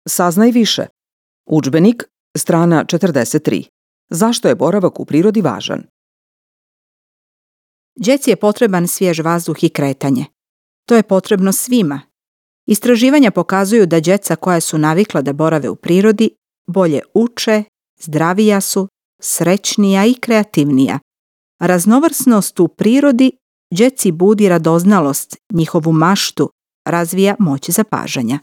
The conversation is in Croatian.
Saznaj više. Udžbenik, strana 43. Zašto je boravak u prirodi važan? Djeci je potreban svjež vazduh i kretanje. To je potrebno svima. Istraživanja pokazuju da djeca koja su navikla da borave u prirodi bolje uče, zdravija su, srećnija i kreativnija. Raznovrsnost u prirodi djeci budi radoznalost, njihovu maštu, razvija moć zapažanja.